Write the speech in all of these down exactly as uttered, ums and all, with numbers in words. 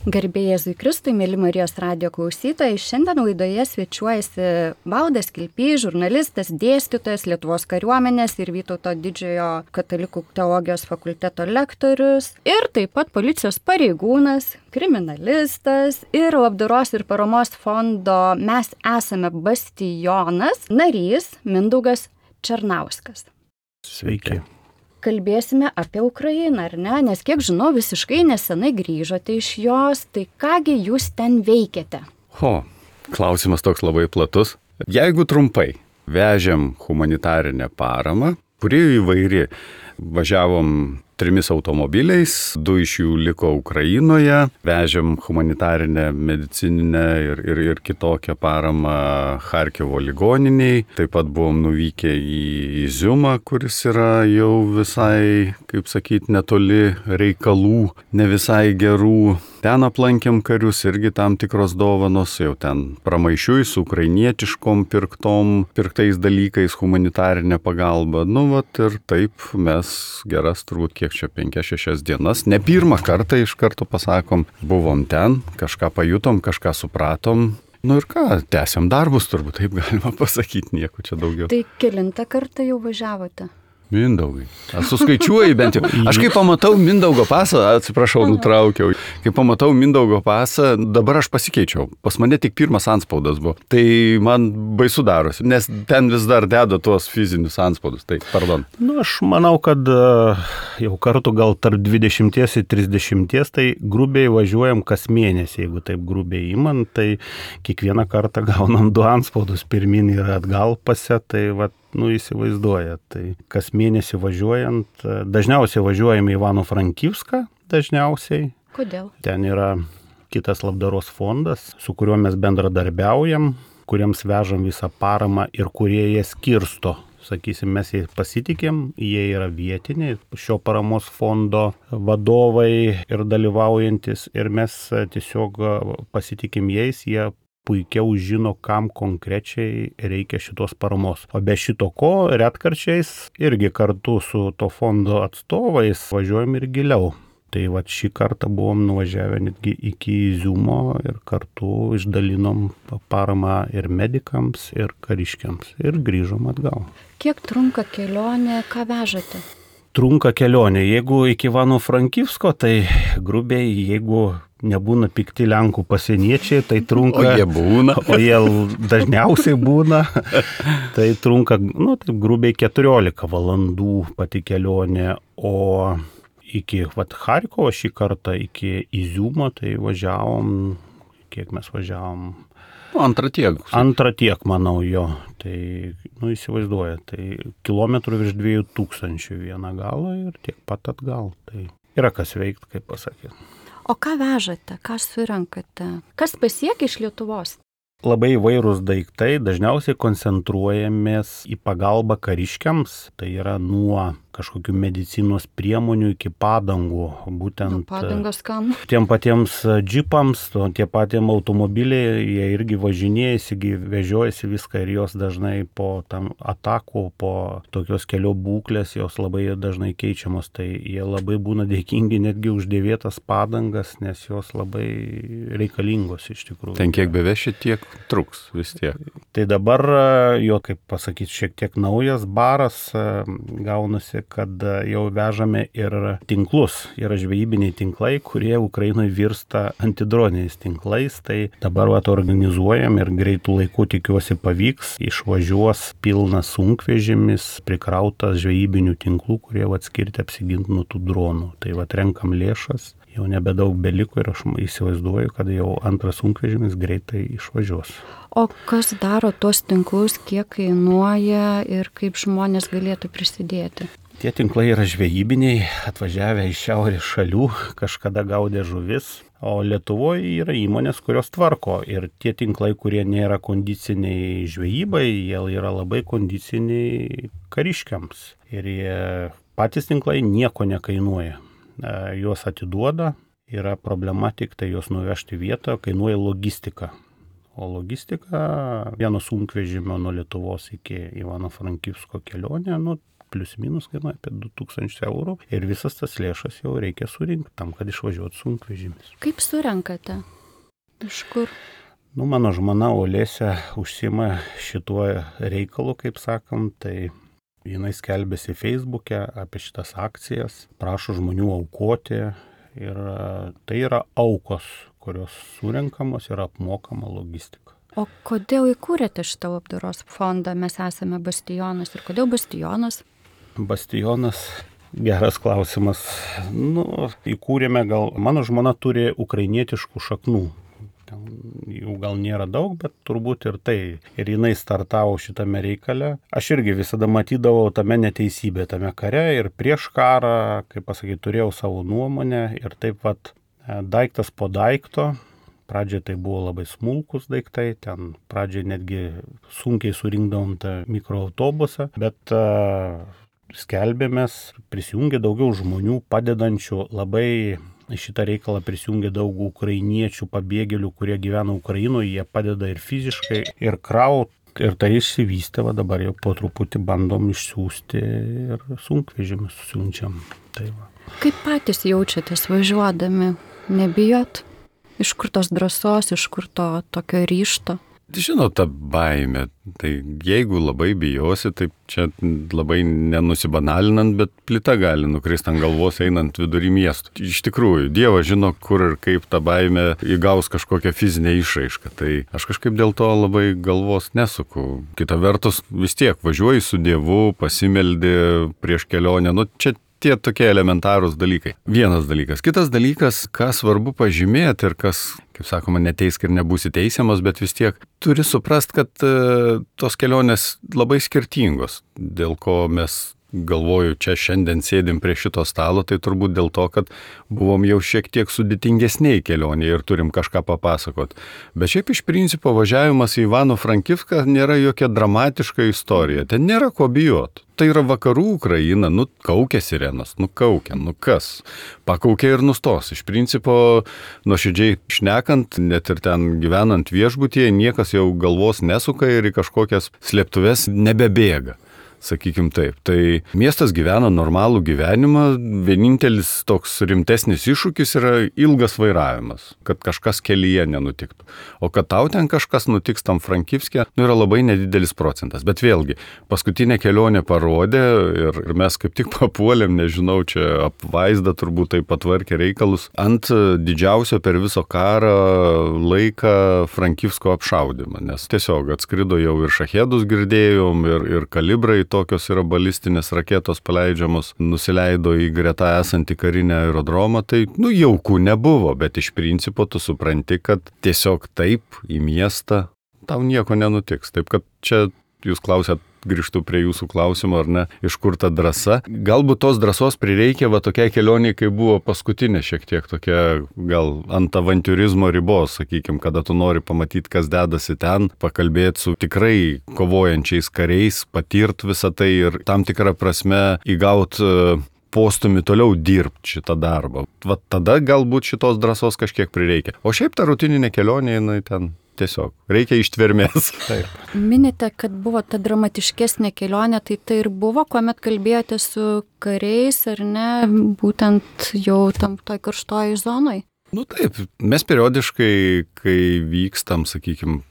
Garbė Jėzui Kristui, mėly Marijos radijo klausytojai, šiandien laidoje svečiuojasi Valdas Kilpys, žurnalistas, dėstytojas, Lietuvos kariuomenės ir Vytauto didžiojo katalikų teologijos fakulteto lektorius ir taip pat policijos pareigūnas, kriminalistas ir labdaros ir paramos fondo Mes esame bastionas narys Mindaugas Černauskas. Sveiki. Kalbėsime apie Ukrainą, ar ne? Nes kiek žinau, visiškai nesenai grįžote iš jos, tai kągi jūs ten veikiate? O, klausimas toks labai platus. Jeigu trumpai, vežėm humanitarinę paramą, kuri įvairi. Važiavom trimis automobiliais, du iš jų liko Ukrainoje, vežėm humanitarinę, medicininę ir, ir, ir kitokią paramą Charkivo ligoniniai. Taip pat buvom nuvykę į Iziumą, kuris yra jau visai, kaip sakyti, netoli reikalų, ne visai gerų. Ten aplankėm karius, irgi tam tikros dovanos, jau ten pramaišiui su ukrainietiškom pirktom, pirktais dalykais, humanitarinė pagalba. Nu, vat ir taip mes geras turbūt kiek čia penkias šešias dienas. Ne pirmą kartą iš karto pasakom, buvom ten, kažką pajutom, kažką supratom. Nu ir ką, tęsiam darbus, turbūt taip galima pasakyti, nieko čia daugiau. Tai kelintą kartą jau važiavote? Mindaugai. Aš suskaičiuoju bent jau. Aš kai pamatau Mindaugo pasą, atsiprašau, nutraukiau. Kai pamatau Mindaugo pasą, dabar aš pasikeičiau. Pas mane tik pirmas antspaudas buvo. Tai man baisu darosi, nes ten vis dar deda tuos fizinius antspaudus. Tai, pardon. Nu, aš manau, kad jau kartu gal tarp dvidešimties ir trisdešimties, tai grubiai važiuojam kas mėnesį, jeigu taip grubiai imant, tai kiekvieną kartą gaunam du antspaudus pirmin ir atgal pase, tai va, nu, įsivaizduoja. Tai kas mėnesį važiuojant, dažniausiai važiuojame į Ivano-Frankivską, dažniausiai. Kodėl? Ten yra kitas labdaros fondas, su kuriuo mes bendradarbiaujam, kuriems vežam visą paramą ir kurie jie skirsto. Sakysim, mes jais pasitikėm, jie yra vietiniai, šio paramos fondo vadovai ir dalyvaujantis, ir mes tiesiog pasitikim jais, jie puikiau žino, kam konkrečiai reikia šitos paramos. O be šito ko, retkarčiais irgi kartu su to fondo atstovais važiuojam ir giliau. Tai va šį kartą buvom nuvažiavę netgi iki Iziumo ir kartu išdalinom paramą ir medikams, ir kariškiams. Ir grįžom atgal. Kiek trunka kelionė, ką vežate? Trunka kelionė. Jeigu iki Ivano-Frankivsko, tai grubiai, jeigu nebūna pikti Lenkų pasieniečiai, tai trunka... O jie būna. O jie dažniausiai būna. Tai trunka, nu, taip grubiai keturiolika valandų pati kelionė. O iki vat, Charkovo šį kartą, iki Iziumo, tai važiavom, kiek mes važiavom... Antrą tiek. Antrą tiek, manau, jo. Tai, nu, įsivaizduoja, tai kilometrų virš dviejų tūkstančių vieną galą ir tiek pat atgal. Tai yra kas veikti, kaip pasakyti. O ką vežate, ką surenkate? Kas pasiekia iš Lietuvos? Labai įvairūs daiktai, dažniausiai koncentruojamės į pagalbą kariškiams, tai yra nuo kažkokių medicinos priemonių iki padangų, būtent nu, padangos kam? Tiem patiems džipams, tie patiems automobiliai, jie irgi važinėjasi, vežiojasi viską ir jos dažnai po tam atakų, po tokios kelio būklės, jos labai dažnai keičiamos, tai jie labai būna dėkingi netgi uždėvėtas padangas, nes jos labai reikalingos iš tikrųjų. Ten kiek beveši, tiek truks vis tiek. Tai dabar jo, kaip pasakyti, šiek tiek naujas baras gaunasi, kad jau vežame ir tinklus. Yra žvejybiniai tinklai, kurie Ukrainoje virsta antidroniniais tinklais. Tai dabar vat, organizuojam ir greitų laikų tikiuosi pavyks. Išvažiuos pilnas sunkvežimis, prikrautas žvejybinių tinklų, kurie vat, skirti apsiginti nuo tų dronų. Tai vat, renkam lėšas. Jau nebedaug beliko ir aš įsivaizduoju, kad jau antras sunkvežimis greitai išvažiuos. O kas daro tuos tinklus, kiek kainuoja ir kaip žmonės galėtų prisidėti? Tie tinklai yra žvejybiniai, atvažiavę iš šiaurės šalių, kažkada gaudė žuvis, o Lietuvoje yra įmonės, kurios tvarko. Ir tie tinklai, kurie nėra kondiciniai žvejybai, jie yra labai kondiciniai kariškiams. Ir jie, patys tinklai nieko nekainuoja. Juos atiduoda, yra problema tik tai juos nuvežti vietą, kainuoja logistika. O logistika vieno sunkvežimio nuo Lietuvos iki Ivano-Frankivsko kelionė, nu, plius minus kainuoja apie du tūkstančius eurų ir visas tas lėšas jau reikia surinkti tam, kad išvažiuotų sunkvežimis. Kaip surenkate? Iš kur? Nu, mano žmona Olėse užsima šituo reikalu, kaip sakom, tai jinai skelbėsi Facebook'e apie šitas akcijas, prašo žmonių aukoti ir tai yra aukos, kurios surenkamos ir apmokama logistika. O kodėl įkūrėte šitą labdaros fondą? Mes esame Bastionas. Ir kodėl Bastionas? Bastionas, geras klausimas. Nu, įkūrėme gal, mano žmona turi ukrainietiškų šaknų. Ten jų gal nėra daug, bet turbūt ir tai. Ir jinai startavo šitame reikale. Aš irgi visada matydavau tame neteisybę, tame kare ir prieš karą, kaip pasakyti, turėjau savo nuomonę ir taip pat daiktas po daikto. Pradžiai tai buvo labai smulkus daiktai, ten pradžiai netgi sunkiai surinkdavom tą mikroautobusą, bet uh, skelbėmės, prisijungė daugiau žmonių padedančių labai. Į šitą reikalą prisijungė daug ukrainiečių pabėgėlių, kurie gyvena Ukrainoje, jie padeda ir fiziškai, ir kraut, ir tai išsivystė, va dabar jau po truputį bandom išsiųsti ir sunkvežimius siunčiam. Tai va. Kaip patys jaučiatės važiuodami? Nebijot? Iš kur tos drąsos, iš kur to tokio ryžto? Žinot, ta baimė, tai jeigu labai bijosi, tai čia labai nenusibanalinant, bet plita gali nukristi ant galvos einant vidury miestų. Iš tikrųjų, Dievas žino, kur ir kaip ta baimė įgaus kažkokią fizinę išraišką, tai aš kažkaip dėl to labai galvos nesuku. Kita vertus, vis tiek važiuoji su Dievu, pasimeldi prieš kelionę, nu čia tie tokie elementarūs dalykai. Vienas dalykas. Kitas dalykas, ką svarbu pažymėti ir kas, kaip sakoma, neteisk ir nebūsi teisiamas, bet vis tiek turi suprast, kad e, tos kelionės labai skirtingos. Dėl ko mes, galvoju, čia šiandien sėdim prie šito stalo, tai turbūt dėl to, kad buvom jau šiek tiek sudėtingesniai kelionėje ir turim kažką papasakot. Bet šiaip iš principo važiavimas į Ivano-Frankivską nėra jokia dramatiška istorija. Ten nėra ko bijot. Tai yra vakarų Ukraina, nu kaukia sirenos, nu kaukia, nu kas. Pakaukia ir nustos. Iš principo, nuoširdžiai šnekant, net ir ten gyvenant viešbutyje, niekas jau galvos nesuka ir į kažkokias slėptuves nebebėga. Sakykim taip. Tai miestas gyvena normalų gyvenimą, vienintelis toks rimtesnis iššūkis yra ilgas vairavimas, kad kažkas kelyje nenutiktų. O kad tau ten kažkas nutiks tam Frankivske, nu yra labai nedidelis procentas. Bet vėlgi, paskutinė kelionė parodė ir, ir mes kaip tik papuolėm, nežinau, čia apvaizda turbūt tai patvarkė reikalus, ant didžiausio per viso karą laiką Frankivsko apšaudymą, nes tiesiog atskrido jau ir šahedus girdėjom, ir, ir kalibrai tokios yra balistinės raketos paleidžiamos, nusileido į greta esantį karinę aerodromą, tai, nu, jaukų nebuvo, bet iš principo tu supranti, kad tiesiog taip į miestą tau nieko nenutiks. Taip, kad čia jūs klausėt, grįžtu prie jūsų klausimo, ar ne, iš kur ta drąsa. Galbūt tos drąsos prireikė va tokiai kelioniai, kai buvo paskutinė šiek tiek tokia gal ant avantiūrizmo ribos, sakykime, kada tu nori pamatyti, kas dedasi ten, pakalbėti su tikrai kovojančiais kariais, patirt visą tai ir tam tikrą prasme įgaut postumį toliau dirbti šitą darbą. Va tada galbūt šitos drąsos kažkiek prireikia. O šiaip ta rutininė kelionė, jinai ten tiesiog reikia ištvermės. Taip. Minite, kad buvo ta dramatiškesnė kelionė, tai tai ir buvo, kuomet kalbėjote su kariais, ar ne, būtent jau tam toj karštoj zonoj? Nu taip, mes periodiškai, kai vykstam, sakykime,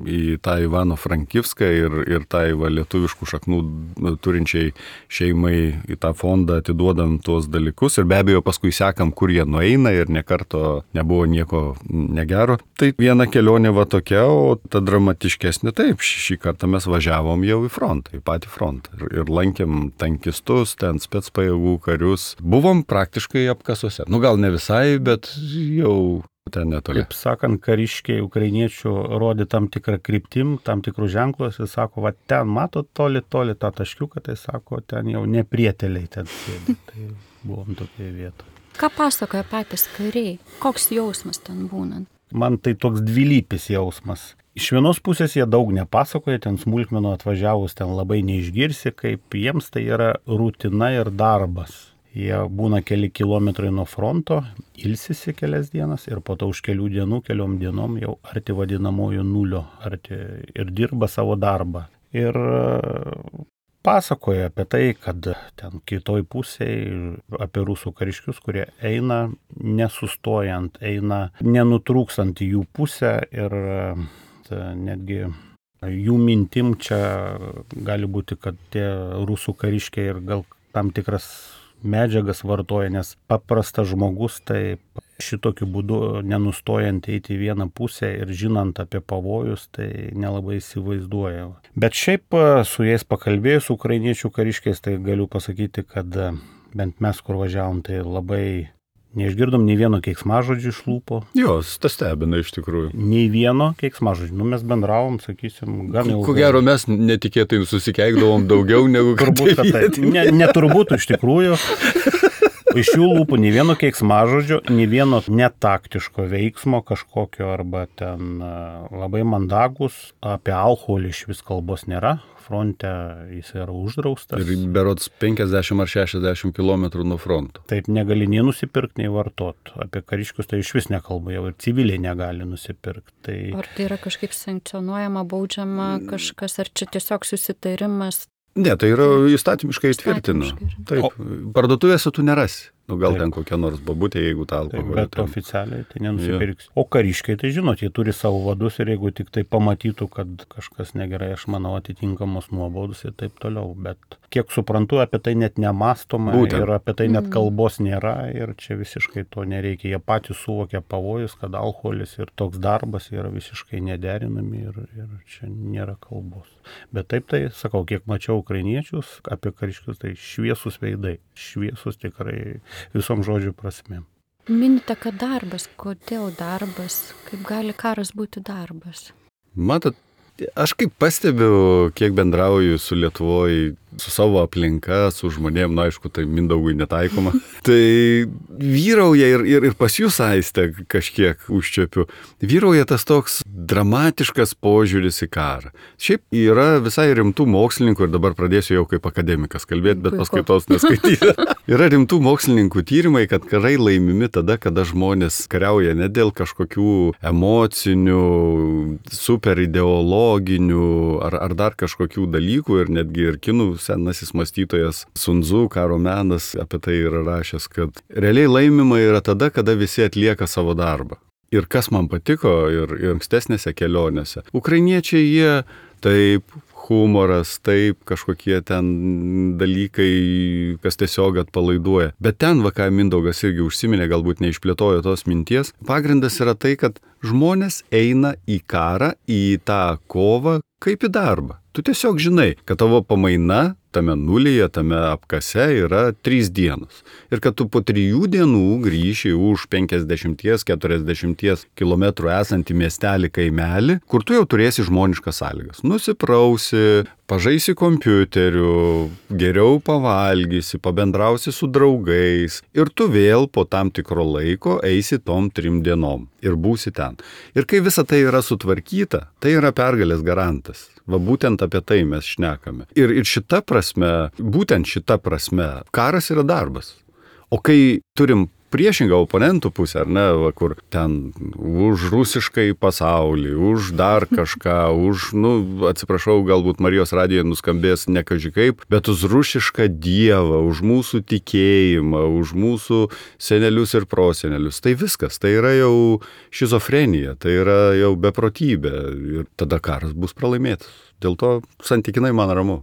į tą Ivano-Frankivską ir, ir tai va, lietuviškų šaknų turinčiai šeimai į tą fondą atiduodam tuos dalykus ir be abejo paskui sekam, kur jie nueina ir nekarto nebuvo nieko negero. Tai viena kelionė va tokia, o ta dramatiškesnė taip, šį kartą mes važiavom jau į frontą, į patį frontą ir, ir lankėm tankistus, ten specpajėgų karius. Buvom praktiškai apkasuose. Nu gal ne visai, bet jau ten netoli. Kaip sakant, kariškiai ukrainiečių rodė tam tikrą kryptim, tam tikrus ženklus ir sako, va ten matot toli, toli tą taškiuką, tai sako, ten jau neprieteliai ten sėdi. Tai buvom tokioje vietoje. Ką pasakoja patys kariai? Koks jausmas ten būnant? Man tai toks dvilypis jausmas. Iš vienos pusės jie daug nepasakoja, ten smulkmenų atvažiavus ten labai neišgirsi, kaip jiems tai yra rutina ir darbas. Jie būna keli kilometrai nuo fronto, ilsisi kelias dienas ir po to už kelių dienų, keliom dienom jau arti vadinamojo nulio, arti ir dirba savo darbą. Ir pasakoja apie tai, kad ten kitoj pusėje apie rusų kariškius, kurie eina nesustojant, eina nenutrūkstant į jų pusę ir netgi jų mintim čia gali būti, kad tie rusų kariškiai ir gal tam tikras medžiagas vartoja, nes paprastas žmogus tai šitokiu būdu nenustojant eiti į vieną pusę ir žinant apie pavojus, tai nelabai įsivaizduoja. Bet šiaip su jais pakalbėjus, ukrainiečių kariškiais, tai galiu pasakyti, kad bent mes kur važiavom, tai labai neišgirdom nei vieno keiksmažodžio iš lūpo. Jos, tas stebina iš tikrųjų. Nei vieno keiksmažodžio. Nu, mes bendravom, sakysim, gan ilgai. Ko gero, mes netikėtai susikeikdavom daugiau negu kad turbūt, kad tai. Ne, neturbūt iš tikrųjų. Iš jų lūpų nei vieno keiksmažodžio, nei vieno netaktiško veiksmo kažkokio arba ten labai mandagus. Apie alkoholį iš vis kalbos nėra. Fronte jis yra uždraustas. Ir berods penkiasdešimt ar šešiasdešimt kilometrų nuo fronto. Taip, negali nei nusipirkti, nei vartot. Apie kariškius tai iš vis nekalba, jau ir civiliai negali nusipirkti. Tai... Ar tai yra kažkaip sankcionuojama, baudžiama kažkas, ar čia tiesiog susitarimas? Ne, tai yra įstatymiškai įtvirtina. Taip, o... parduotuvėse tu nerasi. Nu, gal taip. Ten kokia nors babutė, jeigu tą alkoholį. Bet ten... oficialiai tai nenusipirks. Ja. O kariškiai, tai žinot, jie turi savo vadus ir jeigu tik tai pamatytų, kad kažkas negerai, aš manau, atitinkamos nuobaudos ir taip toliau. Bet kiek suprantu, apie tai net nemastoma. Būtent. Ir apie tai net kalbos nėra ir čia visiškai to nereikia. Jie patys suvokia pavojus, kad alkoholis ir toks darbas yra visiškai nederinami ir, ir čia nėra kalbos. Bet taip tai, sakau, kiek mačiau ukrainiečius apie kariškius, tai šviesus veidai. Šviesus tikrai visom žodžių prasmėm. Minite, kad darbas. Kodėl darbas? Kaip gali karas būti darbas? Matot, aš kaip pastebiu, kiek bendrauju su Lietuvoje, su savo aplinka, su žmonėm, na aišku, tai Mindaugui netaikoma, tai vyrauja ir, ir, ir pas jūs, Aiste, kažkiek užčiapiu, vyrauja tas toks dramatiškas požiūris į karą. Šiaip yra visai rimtų mokslininkų, ir dabar pradėsiu jau kaip akademikas kalbėti, bet paskaitos neskaityti. Yra rimtų mokslininkų tyrimai, kad karai laimimi tada, kada žmonės kariauja ne dėl kažkokių emocinių, super ideologinių ar, ar dar kažkokių dalykų, ir netgi ir kinų senasis mąstytojas Sun Tzu, karo menas, apie tai yra rašęs, kad realiai laimima yra tada, kada visi atlieka savo darbą. Ir kas man patiko ir, ir ankstesnėse kelionėse. Ukrainiečiai jie taip, humoras, taip, kažkokie ten dalykai, kas tiesiog atpalaiduoja. Bet ten, va, ką Mindaugas irgi užsiminė, galbūt neišplėtojo tos minties, pagrindas yra tai, kad žmonės eina į karą, į tą kovą kaip į darbą. Tu tiesiog žinai, kad tavo pamaina tame nulyje, tame apkase yra trys dienos. Ir kad tu po trijų dienų grįši už penkiasdešimt keturiasdešimt kilometrų esantį miestelį kaimelį, kur tu jau turėsi žmoniškas sąlygas. Nusiprausi, pažaisi kompiuteriu, geriau pavalgysi, pabendrausi su draugais ir tu vėl po tam tikro laiko eisi tom trim dienom ir būsi ten. Ir kai visa tai yra sutvarkyta, tai yra pergalės garantas. Va būtent apie tai mes šnekame. Ir, ir šita prasme, būtent šita prasme, karas yra darbas. O kai turim priešingą oponentų pusę, ar ne, va, kur ten už rusiškai pasaulį, už dar kažką, už, nu, atsiprašau, galbūt Marijos radijoje nuskambės ne kaži kaip, bet už rusišką dievą, už mūsų tikėjimą, už mūsų senelius ir prosenelius. Tai viskas, tai yra jau šizofrenija, tai yra jau beprotybė ir tada karas bus pralaimėtas. Dėl to santykinai man ramu.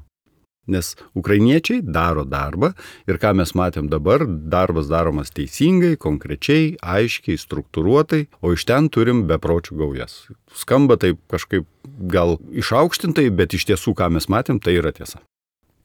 Nes ukrainiečiai daro darbą ir ką mes matėm dabar, darbas daromas teisingai, konkrečiai, aiškiai, struktūruotai, o iš ten turim bepročių gaujas. Skamba taip kažkaip gal išaukštintai, bet iš tiesų, ką mes matėm, tai yra tiesa.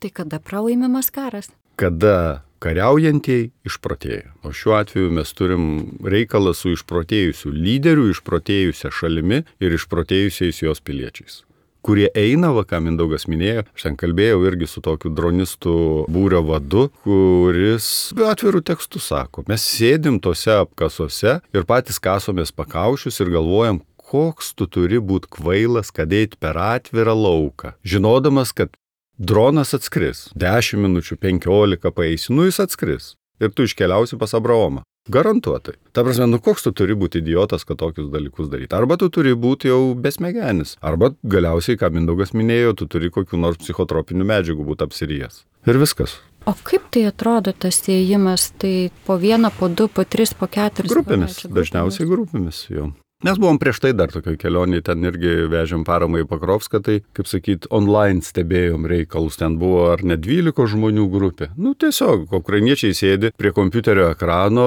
Tai kada pralaimimas karas? Kada kariaujantieji išprotėja. O šiuo atveju mes turim reikalą su išprotėjusiu lyderiu, išprotėjusia šalimi ir išprotėjusiais jos piliečiais, kurie eina, va, ką Mindaugas minėjo, aš ten kalbėjau irgi su tokiu dronistų būrio vadu, kuris atvirų tekstų sako, mes sėdim tose apkasuose ir patys kasomės pakaušius ir galvojam, koks tu turi būti kvailas, kad eit per atvirą lauką, žinodamas, kad dronas atskris, dešimt minučių, penkiolika paeisi, nu jis atskris ir tu iškeliausi pas Abraomą. Garantuotai. Ta prasme, nu koks tu turi būti idiotas, kad tokius dalykus daryti. Arba tu turi būti jau besmegenis. Arba galiausiai, ką Mindaugas minėjo, tu turi kokių nors psichotropinių medžiagų būti apsirijęs. Ir viskas. O kaip tai atrodo tas ėjimas? Tai po vieną, po du, po tris, po keturis? Grupėmis. Dažniausiai grupėmis jau. Mes buvom prieš tai dar tokioj kelionėje, ten irgi vežėm paramą į Pakrovską, tai, kaip sakyt, online stebėjom reikalus, ten buvo ar ne dvylikos žmonių grupė. Nu, tiesiog, ukrainiečiai sėdi prie kompiuterio ekrano,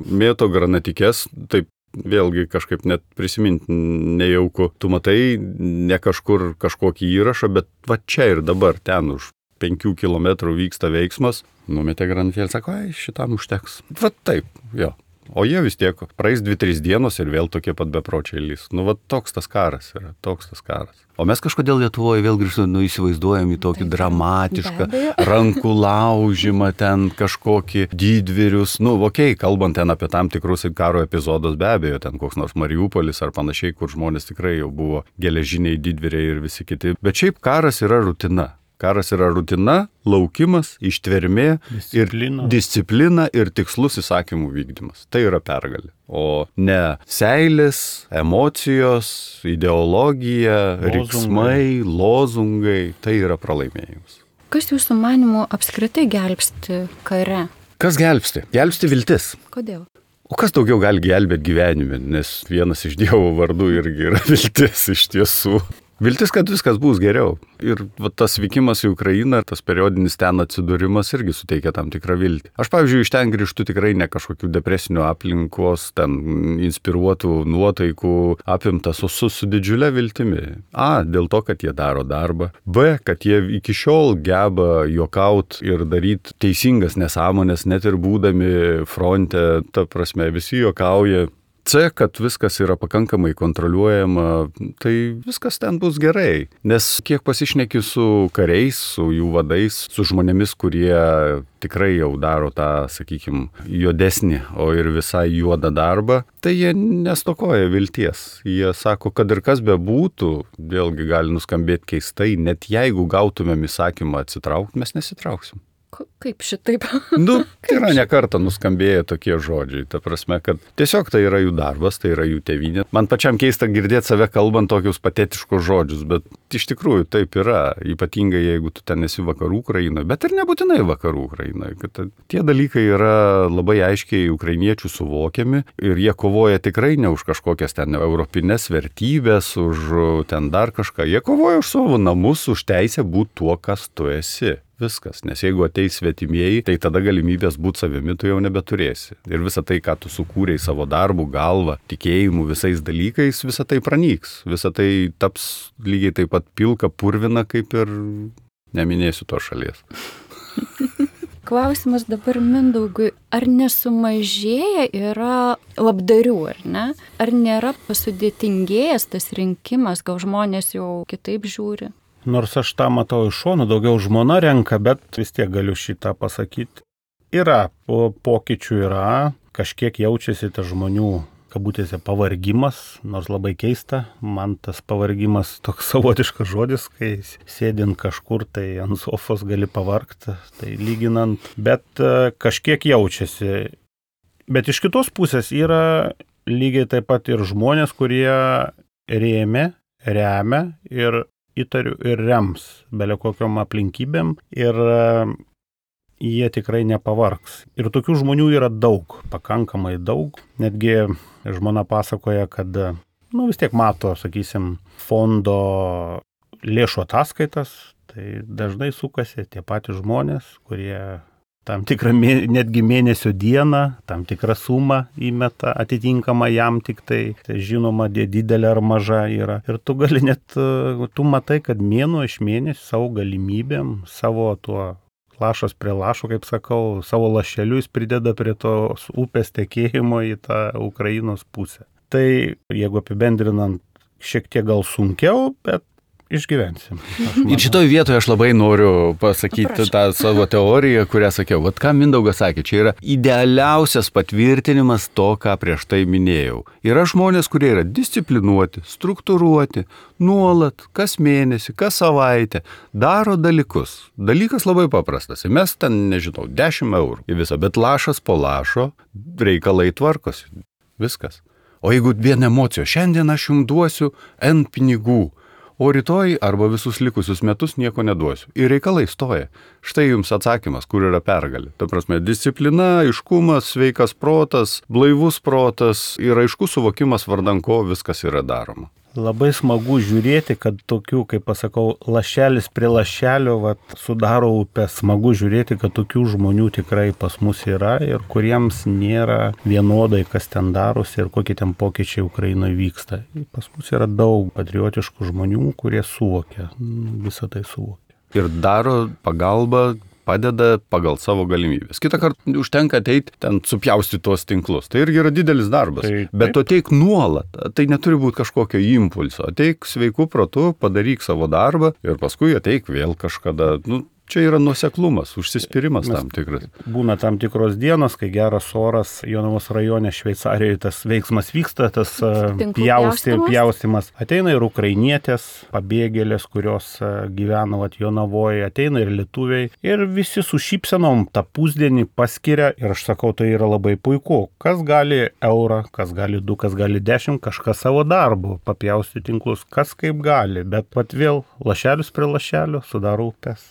mėto granatikės, taip vėlgi kažkaip net prisiminti nejauku. Tu matai ne kažkur kažkokį įrašą, bet va čia ir dabar, ten už penkių kilometrų vyksta veiksmas, numetė granatėlį, sako, ai, šitam užteks. Va taip, jo. O jie vis tiek praeis dvi tris dienos ir vėl tokie pat bepročiai lys. Nu, va toks tas karas yra, toks tas karas. O mes kažkodėl Lietuvoje vėl grįžtame, nu, įsivaizduojam į tokį dramatišką rankų laužimą, ten kažkokį didvyrius. Nu, okei, okay, kalbant ten apie tam tikrus karo epizodus, be abejo, ten koks nors Mariupolis ar panašiai, kur žmonės tikrai jau buvo geležiniai didvyriai ir visi kiti. Bet šiaip karas yra rutina. Karas yra rutina, laukimas, ištvermė disciplina. ir disciplina ir tikslus įsakymų vykdymas. Tai yra pergalė. O ne seilės, emocijos, ideologija, lozungai. Riksmai, lozungai. Tai yra pralaimėjimas. Kas jūsų manimų apskritai gelbsti kare? Kas gelbsti? Gelbsti viltis. Kodėl? O kas daugiau gali gelbėti gyvenime, nes vienas iš Dievo vardų irgi yra viltis iš tiesų. Viltis, kad viskas bus geriau. Ir va, tas vykimas į Ukrainą, tas periodinis ten atsidūrimas irgi suteikia tam tikrą viltį. Aš, pavyzdžiui, iš ten grįžtu tikrai ne kažkokių depresinių aplinkos, ten inspiruotų nuotaikų apimtas, o su, su didžiulė viltimi. A, dėl to, kad jie daro darbą. B, kad jie iki šiol geba juokaut ir daryti teisingas nesąmonės, net ir būdami fronte, ta prasme, visi juokauja. C, kad viskas yra pakankamai kontroliuojama, tai viskas ten bus gerai. Nes kiek pasišneki su kariais, su jų vadais, su žmonėmis, kurie tikrai jau daro tą, sakykime, juodesnį, o ir visai juodą darbą, tai jie nestokoja vilties. Jie sako, kad ir kas bebūtų, vėlgi gali nuskambėti keistai, net jeigu gautumėm įsakymą atsitraukti, mes nesitrauksim. Kaip šitaip? Nu, tai yra ne kartą nuskambėję tokie žodžiai. Ta prasme, kad tiesiog tai yra jų darbas, tai yra jų tėvynė. Man pačiam keista girdėti save kalbant tokius patetiškus žodžius, bet iš tikrųjų taip yra. Ypatingai jeigu tu ten esi vakarų Ukrainoje, bet ir nebūtinai vakarų Ukrainoje. Kad tie dalykai yra labai aiškiai ukrainiečių suvokiami ir jie kovoja tikrai ne už kažkokias ten europinės vertybės, už ten dar kažką. Jie kovoja už savo namus, už teisę būti tuo, kas tu esi. Viskas, nes jeigu ateis svetimieji, tai tada galimybės būti savimi tu jau nebeturėsi. Ir visa tai, ką tu sukūrei savo darbų, galvą, tikėjimu, visais dalykais, visa tai pranyks. Visa tai taps lygiai taip pat pilka purvina, kaip ir neminėsiu to šalies. Klausimas dabar Mindaugui, ar nesumažėja yra labdarių, ar ne? Ar nėra pasudėtingėjęs tas rinkimas, gal žmonės jau kitaip žiūri? Nors aš tą matau iš šono, daugiau žmona renka, bet vis tiek galiu šitą pasakyti. Yra, po pokyčių yra, kažkiek jaučiasi tas žmonių, kabutėse, pavargimas, nors labai keista. Man tas pavargimas toks savotiškas žodis, kai sėdint kažkur, tai ant sofos gali pavargti, tai lyginant, bet kažkiek jaučiasi. Bet iš kitos pusės yra lygiai taip pat ir žmonės, kurie rėmė, remia ir įtariu ir rems belė kokiom aplinkybėm ir jie tikrai nepavargs. Ir tokių žmonių yra daug, pakankamai daug. Netgi žmona pasakoja, kad, nu, vis tiek mato, sakysim, fondo lėšų ataskaitas, tai dažnai sukasi tie patys žmonės, kurie tam tikrą netgi mėnesio dieną, tam tikrą sumą įmeta, atitinkama jam tik tai, tai žinoma, didelė ar maža yra. Ir tu gali net, tu matai, kad mėnuo iš mėnesio savo galimybėm, savo tuo lašas prie lašo, kaip sakau, savo lašeliu jis prideda prie tos upės tekėjimo į tą Ukrainos pusę. Tai, jeigu apibendrinant, šiek tiek gal sunkiau, bet išgyvensim. Ir šitoj vietoje aš labai noriu pasakyti Prašau. tą savo teoriją, kurią sakiau. Vat ką Mindaugas sakė, čia yra idealiausias patvirtinimas to, ką prieš tai minėjau. Yra žmonės, kurie yra disciplinuoti, struktūruoti, nuolat, kas mėnesį, kas savaitę, daro dalykus. Dalykas labai paprastas. Mes ten, nežinau, dešimt eurų į visą, bet lašas po lašo reikalai tvarkosi. Viskas. O jeigu vien emocijos, šiandien aš jums duosiu N pinigų, o rytoj arba visus likusius metus nieko neduosiu. Ir reikalai stoja. Štai jums atsakymas, kur yra pergalė. Ta prasme, disciplina, aiškumas, sveikas protas, blaivus protas ir aiškus suvokimas, vardan ko viskas yra daroma. Labai smagu žiūrėti, kad tokių, kaip pasakau, lašelis prie lašelio vat, sudaro upę. Smagu žiūrėti, kad tokių žmonių tikrai pas mus yra ir kuriems nėra vienodai, kas ten darosi ir kokie ten pokyčiai Ukrainoje vyksta. Pas mus yra daug patriotiškų žmonių, kurie suvokia, visą tai suvokia. Ir daro pagalbą, padeda pagal savo galimybės. Kitą kartą užtenka ateiti ten supjausti tuos tinklus. Tai irgi yra didelis darbas. Tai, bet tu ateik nuolat. Tai neturi būti kažkokio impulso. Ateik sveiku protu, padaryk savo darbą ir paskui ateik vėl kažkada. Nu, čia yra nuoseklumas, užsispyrimas tam tikras. Būna tam tikros dienos, kai geras oras, Jonavos rajone Šveicarijoje tas veiksmas vyksta, tas pjausti, pjaustimas. Ateina ir ukrainietės, pabėgėlės, kurios gyvena vat, Jonavoje, ateina ir lietuviai. Ir visi su šypsenom tą pusdienį paskiria ir aš sakau, tai yra labai puiku. Kas gali eurą, kas gali du, kas gali dešimt, kažkas savo darbu, papjausti tinklus, kas kaip gali. Bet pat vėl lašelius prie lašelio sudaro upės.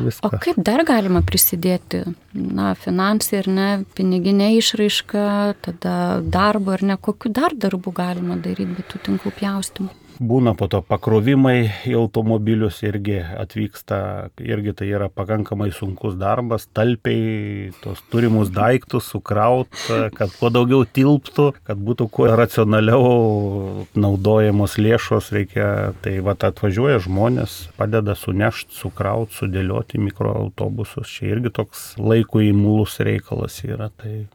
O kaip dar galima prisidėti? Na, finansai ir ne, piniginė išraiška, tada darbo ir ne, kokiu dar darbų galima daryti, bet tų tinklų pjaustymų? Būna po to pakrovimai į automobilius irgi atvyksta, irgi tai yra pakankamai sunkus darbas, talpiai tos turimus daiktus sukraut, kad kuo daugiau tilptų, kad būtų kuo racionaliau naudojamos lėšos, reikia, tai va atvažiuoja žmonės, padeda sunešti, sukraut, sudėlioti mikroautobusus, čia irgi toks laikui imlus reikalas yra, tai...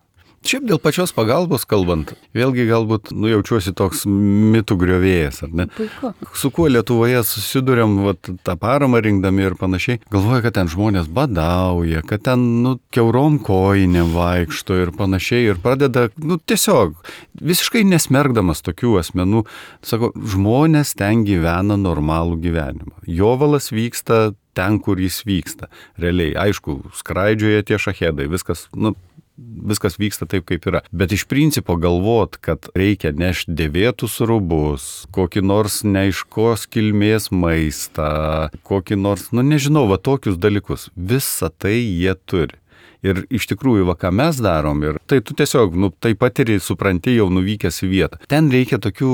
Šiaip dėl pačios pagalbos kalbant, vėlgi galbūt nu, jaučiuosi toks mitų griovėjas, ar ne? Puiku. Su kuo Lietuvoje susiduriam, vat, tą paramą rinkdami ir panašiai, galvoja, kad ten žmonės badauja, kad ten nu, kiaurom kojinėm vaikšto ir panašiai ir pradeda, nu tiesiog, visiškai nesmergdamas tokių asmenų, sako, žmonės ten gyvena normalų gyvenimą. Jovalas vyksta ten, kur jis vyksta. Realiai, aišku, skraidžioja tie šahedai, viskas, nu, viskas vyksta taip, kaip yra. Bet iš principo galvot, kad reikia nešti dėvėtus rūbus, kokį nors neaiškos kilmės maistą, kokį nors, nu nežinau, va tokius dalykus. Visą tai jie turi. Ir iš tikrųjų, va ką mes darom, ir tai tu tiesiog, nu, tai patiri, supranti jau nuvykęs į vietą. Ten reikia tokių,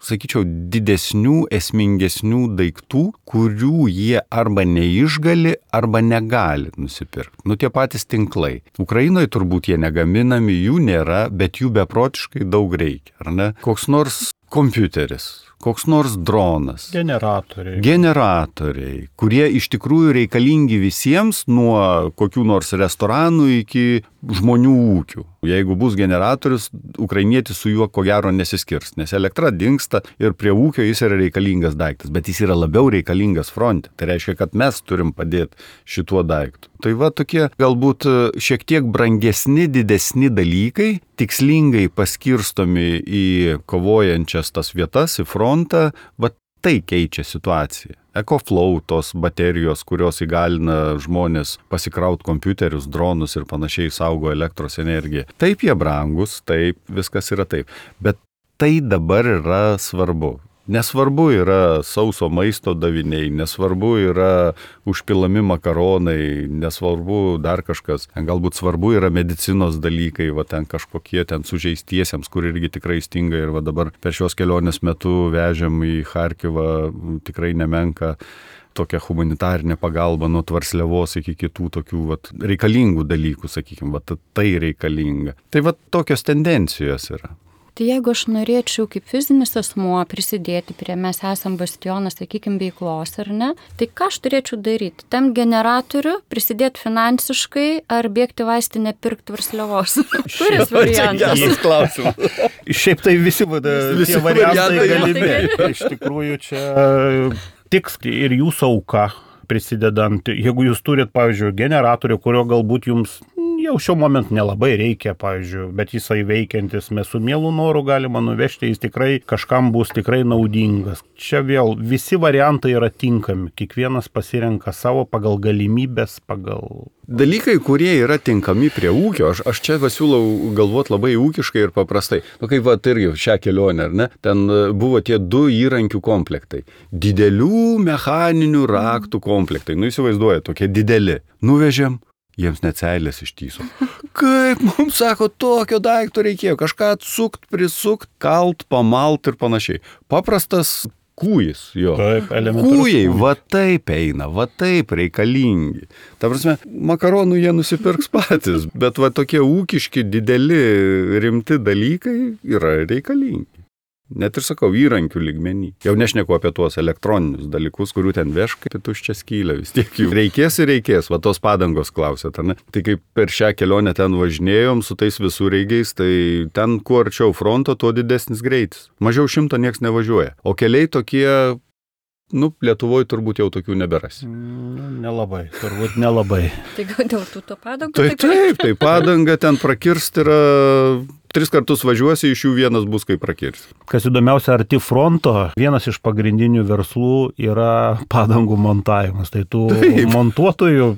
sakyčiau, didesnių, esmingesnių daiktų, kurių jie arba neišgali, arba negali nusipirkti. Nu, tie patys tinklai. Ukrainoje turbūt jie negaminami, jų nėra, bet jų beprotiškai daug reikia, ar ne? Koks nors kompiuteris, koks nors dronas. Generatoriai. Generatoriai, kurie iš tikrųjų reikalingi visiems, nuo kokių nors restoranų iki žmonių ūkių. Jeigu bus generatorius, ukrainietis su juo ko gero nesiskirs, nes elektra dingsta ir prie ūkio jis yra reikalingas daiktas, bet jis yra labiau reikalingas fronte. Tai reiškia, kad mes turim padėti šituo daiktu. Tai va tokie galbūt šiek tiek brangesni, didesni dalykai, tikslingai paskirstomi į kovojančias tas vietas, į frontą, va tai keičia situaciją. EcoFlow, tos baterijos, kurios įgalina žmonės pasikrauti kompiuterius, dronus ir panašiai, saugo elektros energiją. Taip jie brangus, taip, viskas yra taip. Bet tai dabar yra svarbu. Nesvarbu yra sauso maisto daviniai, nesvarbu yra užpilami makaronai, nesvarbu dar kažkas. Galbūt svarbu yra medicinos dalykai, va ten kažkokie ten sužeistiesiems, kur irgi tikrai stinga ir va dabar per šios kelionės metu vežėm į Charkivą tikrai nemenka tokią humanitarinę pagalbą nuo Tvarsliavos iki kitų tokių vat, reikalingų dalykų, sakykime, vat, tai reikalinga. Tai vat tokios tendencijos yra. Tai jeigu aš norėčiau kaip fizinis asmuo prisidėti prie mes esam bastionas, sakykime, veiklos, ar ne, tai ką aš turėčiau daryti? Tam generatorių, prisidėti finansiškai ar bėgti vaistinę pirkti Tvarsliavos? Kuris variantas? Geras klausimas. Šiaip tai visi, visi tie variantai galimi. Iš tikrųjų čia tiks ir jūsų auka prisidedant. Jeigu jūs turit, pavyzdžiui, generatorių, kurio galbūt jums jau šiuo momentu nelabai reikia, pavyzdžiui, bet jisai veikiantis, mes su mielu noru galima nuvežti, jis tikrai kažkam bus tikrai naudingas. Čia vėl visi variantai yra tinkami, kiekvienas pasirenka savo pagal galimybės, pagal... Dalykai, kurie yra tinkami prie ūkio, aš, aš čia siūlau galvoti labai ūkiškai ir paprastai. Nu, kaip va, irgi šią kelionę, ar ne? Ten buvo tie du įrankių komplektai. Didelių mechaninių raktų komplektai. Nu, įsivaizduoja, tokie dideli. Nuvežėm. Jiems net seilės ištyso. Kaip mums, sako, tokio daikto reikėjo, kažką atsukt, prisukt, kalt, pamalt ir panašiai. Paprastas kūjis, jo. Taip, elementarus. Kūjai, va taip eina, va taip reikalingi. Ta prasme, makaronų jie nusipirks patys, bet va tokie ūkiški, dideli, rimti dalykai yra reikalingi. Net ir sakau, įrankių lygmenį. Jau nešneku apie tuos elektroninius dalykus, kurių ten veškai, tai tuščia skylė vis tiek jų. Reikės ir reikės, va tos padangos klausėt, ne? Tai kaip per šią kelionę ten važinėjom su tais visureigiais, tai ten kuo arčiau fronto, tuo didesnis greitis. Mažiau šimto nieks nevažiuoja. O keliai tokie, nu, Lietuvoje turbūt jau tokių neberasi. Mm, nelabai, turbūt nelabai. Tai gal dėl tų to padangų? Taip, taip, tai padanga ten prakirst yra... Tris kartus važiuosi, iš jų vienas bus kaip prakirsti. Kas įdomiausia, arti fronto, vienas iš pagrindinių verslų yra padangų montavimas. Tai tų Taip. montuotojų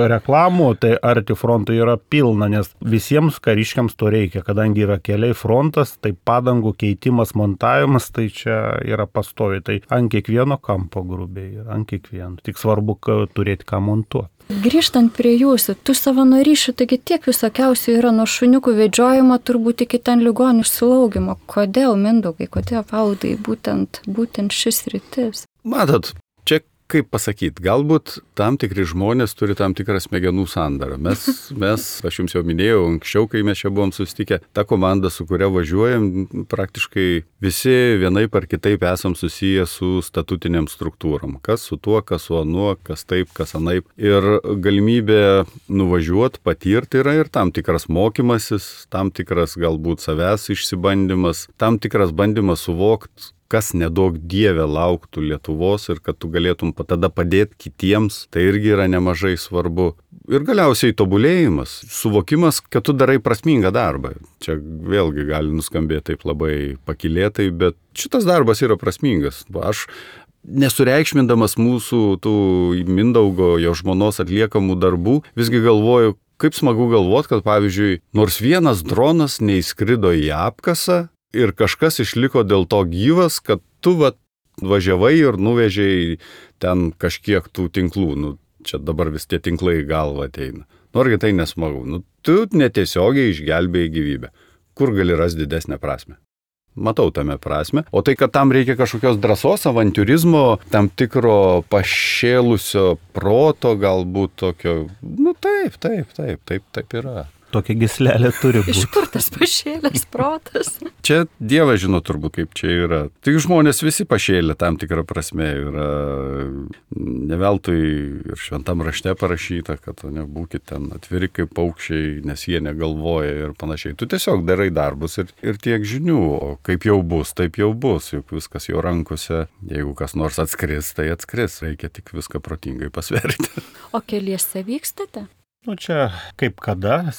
reklamų, tai arti fronto yra pilna, nes visiems kariškiams to reikia. Kadangi yra keliai frontas, tai padangų keitimas, montavimas, tai čia yra pastovi. Tai ant kiekvieno kampo grubiai, ant kiekvieno. Tik svarbu turėti ką montuoti. Grįžtant prie jūsų, tų savanorysčių, taigi tiek visokiausių yra nuo šuniukų vedžiojimo, turbūt iki ten ligonių slaugimo. Kodėl, Mindaugai, kodėl, Valdai, būtent, būtent šis rytis? Matot, čia kaip pasakyti, galbūt tam tikri žmonės turi tam tikrą smegenų sandarą. Mes, mes, aš jums jau minėjau, anksčiau, kai mes čia buvom susitikę, ta komanda, su kuria važiuojam, praktiškai visi vienaip ar kitaip esam susiję su statutiniam struktūrom. Kas su tuo, kas su anuo, kas taip, kas anaip. Ir galimybė nuvažiuoti, patirti yra ir tam tikras mokymasis, tam tikras galbūt savęs išsibandymas, tam tikras bandymas suvokti, kas nedaug dievė lauktų Lietuvos ir kad tu galėtum tada padėti kitiems, tai irgi yra nemažai svarbu. Ir galiausiai tobulėjimas, suvokimas, kad tu darai prasmingą darbą. Čia vėlgi gali nuskambėti taip labai pakylėtai, bet šitas darbas yra prasmingas. Aš nesureikšmindamas mūsų tų Mindaugo, jo žmonos atliekamų darbų, visgi galvoju, kaip smagu galvoti, kad pavyzdžiui, nors vienas dronas neįskrido į apkasą, ir kažkas išliko dėl to gyvas, kad tu va, važiavai ir nuvežėjai ten kažkiek tų tinklų. Nu, čia dabar vis tie tinklai į galvą ateina. Norgi tai nesmagu. Nu, tu netiesiogiai išgelbėjai gyvybę. Kur gali rasti didesnę prasmę? Matau tame prasme. O tai, kad tam reikia kažkokios drąsos, avantiūrizmo, tam tikro pašėlusio proto, galbūt tokio, nu taip, taip, taip, taip, taip yra. Tokia gyslelė turi būti. Iš kur tas pašėlęs protas? Čia Dievas žino turbūt, kaip čia yra. Tik žmonės visi pašėlė tam tikrą prasme. Yra ne veltui ir šventam rašte parašyta, kad nebūkit ten atviri kaip paukščiai, nes jie negalvoja ir panašiai. Tu tiesiog darai darbus ir, ir tiek žinių. O kaip jau bus, taip jau bus. Juk viskas jo rankose. Jeigu kas nors atskris, tai atskris. Reikia tik viską protingai pasverti. O keliese vykstate? Nu čia kaip kada,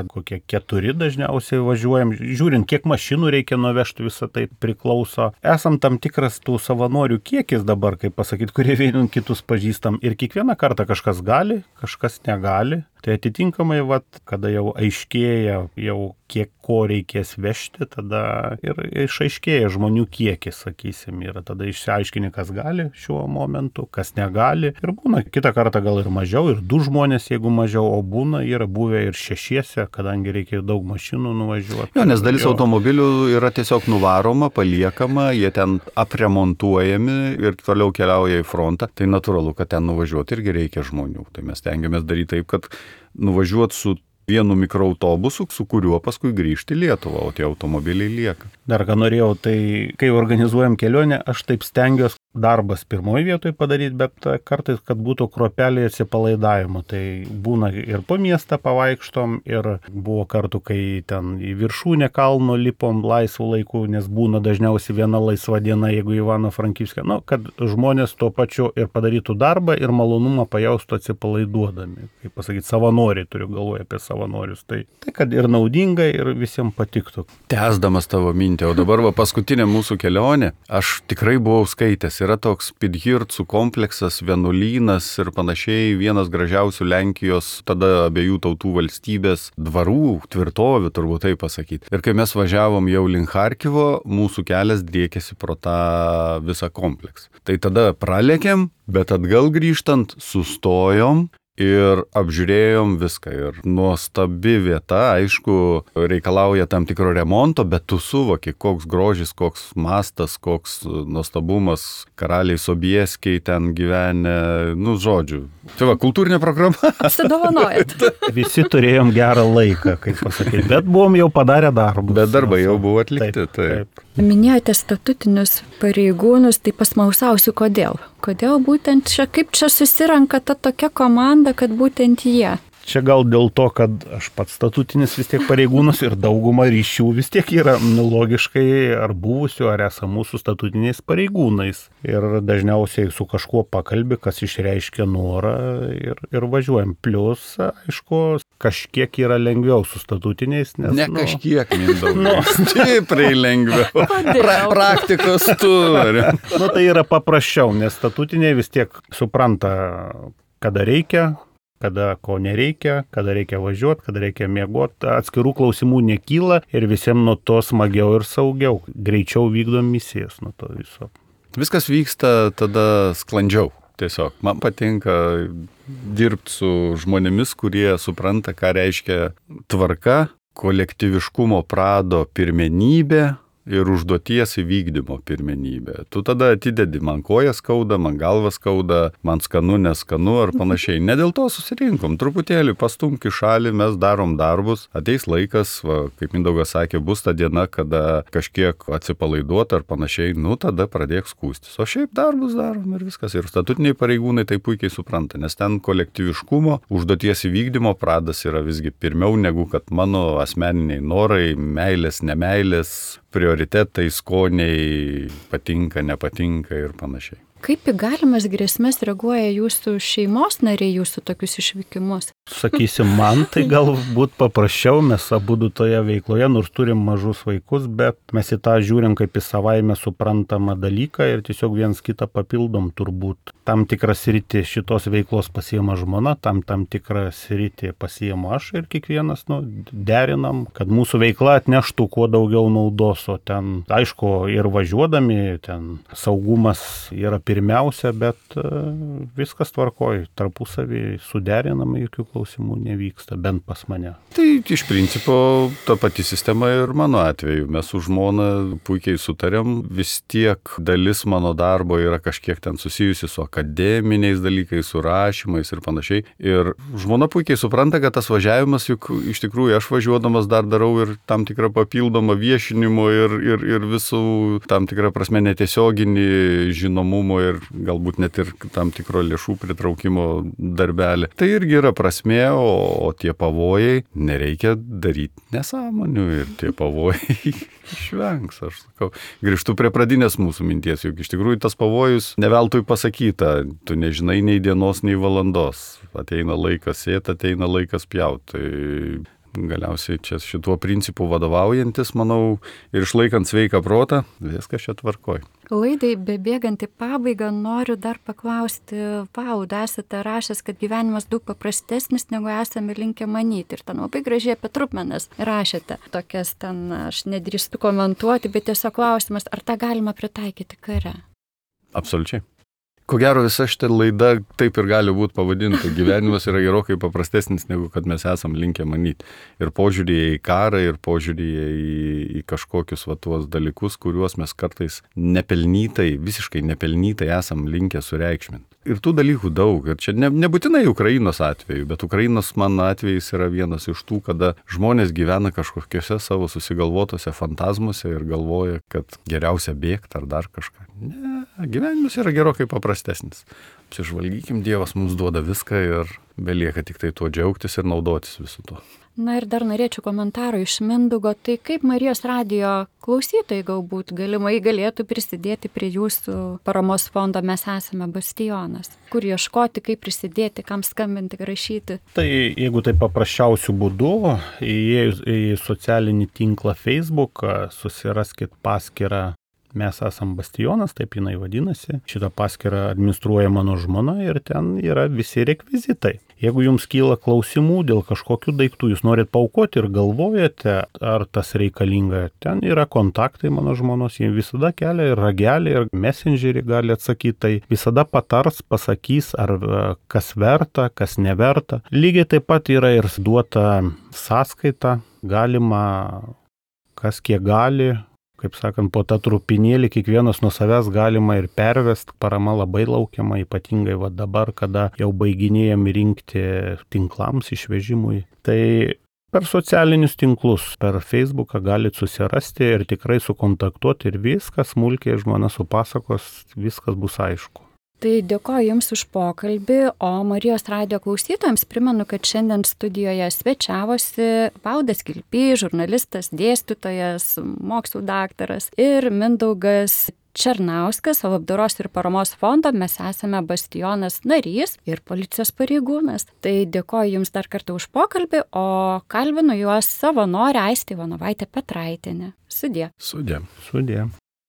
kokie keturi dažniausiai važiuojam, žiūrint, kiek mašinų reikia nuvežti, visą tai priklauso. Esam tam tikras tų savanorių kiekis dabar, kaip pasakyti, kurie vieni kitus pažįstam ir kiekvieną kartą kažkas gali, kažkas negali. Tai atitinkamai, vat, kada jau aiškėja, jau kiek ko reikės vežti, tada ir išaiškėja žmonių kiekis, sakysim, ir tada išsiaiškini, kas gali šiuo momentu, kas negali. Ir būna kitą kartą gal ir mažiau, ir du žmonės, jeigu mažiau, o būna yra buvę ir šešiese, kadangi reikia daug mašinų nuvažiuoti. Jo, nes dalis jo. automobilių yra tiesiog nuvaroma, paliekama, jie ten apremontuojami ir toliau keliauja į frontą. Tai natūralu, kad ten nuvažiuoti irgi reikia žmonių. Tai mes tengiamės daryti taip, kad nuvažiuoti su vienu mikroautobusu, su kuriuo paskui grįžti į Lietuvą, o tie automobiliai lieka. Dar ką norėjau, tai kai organizuojam kelionę, aš taip stengiuosi darbas pirmoje vietoje padaryti, bet kartais, kad būtų kruopelė atsipalaidavimo. Tai būna ir po miestą pavaikštom, ir buvo kartų, kai ten į viršūnę kalno lipom laisvų laikų, nes būna dažniausiai viena laisva diena, jeigu Ivano-Frankivske, nu, kad žmonės tuo pačiu ir padarytų darbą, ir malonumą pajaustų atsipalaiduodami. Kaip pasakyti, savanoriai, turiu galvoje apie savanorius. Tai, tai kad ir naudinga, ir visiems patiktų. Tęsdamas tavo mintį, o dabar va, paskutinė mūsų kelionė, aš tikrai buvau skaitęs. Yra toks Pidhircų kompleksas, vienuolynas ir panašiai, vienas gražiausių Lenkijos, tada abiejų tautų valstybės dvarų, tvirtovių, turbūt taip pasakyti. Ir kai mes važiavom jau link Charkivo, mūsų kelias driekėsi pro tą visą kompleksą. Tai tada pralėkėm, bet atgal grįžtant sustojom ir apžiūrėjom viską. Ir nuostabi vieta, aišku, reikalauja tam tikro remonto, bet tu suvoki, koks grožis, koks mastas, koks nuostabumas, karaliai Sobieskiai ten gyvenę, nu, žodžiu. Tai va, kultūrinė programa. Apsidovanojat. Visi turėjom gerą laiką, kaip pasakyti, bet buvom jau padarę darbus. Bet darbai jau buvo atlikti. Taip, taip. Minėjote statutinius pareigūnus, tai pasmausausiu, kodėl. Kodėl būtent čia, kaip čia susirenka ta tokia komanda, kad būtent jie? Čia gal dėl to, kad aš pats statutinis vis tiek pareigūnas ir dauguma ryšių vis tiek yra nu, logiškai ar buvusių, ar esamų su statutiniais pareigūnais. Ir dažniausiai su kažkuo pakalbi, kas išreiškia norą ir, ir važiuojam. Plius, aišku, kažkiek yra lengviau su statutiniais. Nes, ne nu, kažkiek, Mindaugai. Nu, stipriai lengviau. Pra, praktikos turi. Nu, tai yra paprasčiau, nes statutiniai vis tiek supranta, kada reikia, kada ko nereikia, kada reikia važiuoti, kada reikia miegoti. Atskirų klausimų nekyla ir visiems nuo to smagiau ir saugiau. Greičiau vykdom misijas nuo to viso. Viskas vyksta tada sklandžiau. Tiesiog man patinka dirbti su žmonėmis, kurie supranta, ką reiškia tvarka, kolektyviškumo prado pirmenybė ir užduoties įvykdymo pirmenybė. Tu tada atidedi, man koja skauda, man galva skauda, man skanu, neskanu ar panašiai. Ne dėl to susirinkom, truputėlį pastumk į šalį, mes darom darbus, ateis laikas, va, kaip Mindaugas sakė, bus ta diena, kada kažkiek atsipalaiduot ar panašiai, nu tada pradėk skūstis. O šiaip darbus darom ir viskas. Ir statutiniai pareigūnai tai puikiai supranta, nes ten kolektyviškumo, užduoties įvykdymo pradas yra visgi pirmiau negu kad mano asmeniniai norai, meilės, nemeilės, prioritetai, skoniai, patinka, nepatinka ir panašiai. Kaip į galimas grėsmės reaguoja jūsų šeimos nariai, jūsų tokius išvykimus? Sakysim, man tai galbūt paprasčiau, mes abudu toje veikloje, nors turim mažus vaikus, bet mes į tą žiūrim kaip į savaime suprantamą dalyką ir tiesiog viens kitą papildom turbūt. Tam tikrą sritį šitos veiklos pasiima žmona, tam tam tikrą sritį pasiima aš ir kiekvienas nu, derinam, kad mūsų veikla atneštų kuo daugiau naudos, o ten, aišku, ir važiuodami, ten saugumas yra pirmiausia, bet uh, viskas tvarkoj, tarpusavį suderinama, jokių klausimų nevyksta, bent pas mane. Tai iš principo ta pati sistema ir mano atveju. Mes su žmona puikiai sutarėm, vis tiek dalis mano darbo yra kažkiek ten susijusi su akademiniais dalykais, su rašymais ir panašiai. Ir žmona puikiai supranta, kad tas važiavimas, juk iš tikrųjų aš važiuodamas dar darau ir tam tikrą papildomą viešinimo ir, ir, ir visų tam tikrą prasme netiesioginį žinomumo ir galbūt net ir tam tikro lėšų pritraukimo darbelį. Tai irgi yra prasmė, o, o tie pavojai nereikia daryti nesąmonių ir tie pavojai išvengs, aš sakau. Grįžtu prie pradinės mūsų minties, juk iš tikrųjų tas pavojus neveltui pasakyta, tu nežinai nei dienos, nei valandos. Ateina laikas sėt, ateina laikas pjaut. Tai galiausiai čia šituo principu vadovaujantis, manau, ir išlaikant sveiką protą, viskas čia tvarkoj. Laidai bebėgant į pabaigą noriu dar paklausti, Pauda, esate rašęs, kad gyvenimas daug paprastesnis, negu esame linkę manyti. Ir ten labai gražiai apie trupmenas rašėte. Tokias ten aš nedrįstu komentuoti, bet tiesiog klausimas, ar tą galima pritaikyti kare? Absoliučiai. Ko gero visa šitą laida taip ir gali būti pavadinta. Gyvenimas yra gerokai paprastesnis, negu kad mes esam linkę manyti. Ir požiūrėje į karą, ir požiūrėje į, į kažkokius va tuos dalykus, kuriuos mes kartais nepelnytai, visiškai nepelnytai esam linkę sureikšminti. Ir tų dalykų daug. Ir čia ne, nebūtinai Ukrainos atveju, bet Ukrainos mano atvejais yra vienas iš tų, kada žmonės gyvena kažkokiuose savo susigalvotose fantazmuose ir galvoja, kad geriausia bėgti ar dar kažką. Ne, gyvenimas yra gerokai paprastesnis. Apsižvalgykim, Dievas mums duoda viską ir belieka tik tai tuo džiaugtis ir naudotis visų to. Na ir dar norėčiau komentaro iš Mindaugo, tai kaip Marijos radijo klausytojai galbūt galimai galėtų prisidėti prie jūsų paramos fondo Mes esame Bastionas. Kur ieškoti, kaip prisidėti, kam skambinti, rašyti? Tai jeigu tai paprasčiausių būdų, įėjus į socialinį tinklą Facebook, susiraskit paskyrą Mes esam Bastionas, taip jinai vadinasi. Šitą paskyrą administruoja mano žmona ir ten yra visi rekvizitai. Jeigu jums kyla klausimų dėl kažkokių daiktų, jūs norit paaukoti ir galvojate, ar tas reikalinga, ten yra kontaktai mano žmonos, jie visada kelia ir ragelį, ir messengerį gali atsakyti, tai visada patars, pasakys, ar kas verta, kas neverta. Lygiai taip pat yra ir duota sąskaita, galima kas kiek gali, kaip sakant, po tą trupinėlį kiekvienas nuo savęs galima ir pervest, parama labai laukiama, ypatingai va dabar, kada jau baiginėjam rinkti tinklams išvežimui. Tai per socialinius tinklus, per Facebooką galit susirasti ir tikrai sukontaktuoti ir viskas, smulkiai žmona supasakos, viskas bus aišku. Tai dėkoju Jums už pokalbį, o Marijos radijo klausytojams primenu, kad šiandien studijoje svečiavosi Valdas Kilpys, žurnalistas, dėstytojas, mokslų daktaras ir Mindaugas Černauskas, labdaros ir paramos fondo Mes esame Bastionas narys ir policijos pareigūnas. Tai dėkoju Jums dar kartą už pokalbį, o kalbinu juos savanorę Aistę Ivanovaitę Petraitienę. Sudie. Sudie. Sudie.